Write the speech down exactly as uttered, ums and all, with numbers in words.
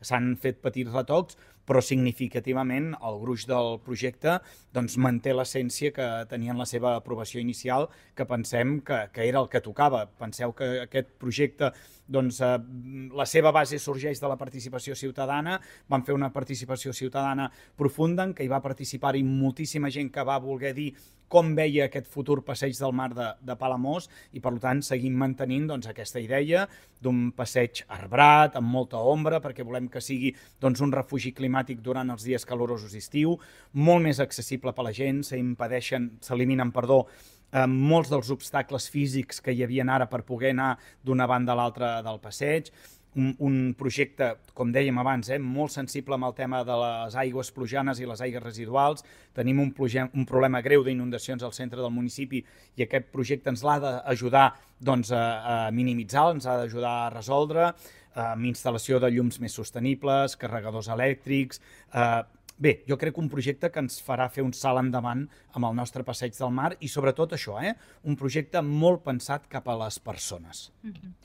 s'han fet petits retocs, però significativament el gruix del projecte doncs, manté l'essència que tenia en la seva aprovació inicial, que pensem que, que era el que tocava. Penseu que aquest projecte, doncs, eh, la seva base sorgeix de la participació ciutadana, van fer una participació ciutadana profunda en què hi va participar-hi moltíssima gent que va voler dir com veia aquest futur passeig del mar de, de Palamós i, per tant, seguim mantenint doncs, aquesta idea d'un passeig arbrat, amb molta ombra, perquè volem que sigui doncs, un refugi climàtic durant els dies calorosos d'estiu, molt més accessible per a la gent, s'impedeixen, s'eliminen, perdó, eh, molts dels obstacles físics que hi havia ara per poder anar d'una banda a l'altra del passeig, Un, un projecte, com dèiem abans, eh, molt sensible amb el tema de les aigües plujanes i les aigües residuals. Tenim un, un problema greu d'inundacions al centre del municipi i aquest projecte ens l'ha d'ajudar doncs, a, a minimitzar, ens ha d'ajudar a resoldre, eh, amb instal·lació de llums més sostenibles, carregadors elèctrics. Eh, bé, jo crec que un projecte que ens farà fer un salt endavant amb el nostre passeig del mar i sobretot això, eh, un projecte molt pensat cap a les persones. Mm-hmm.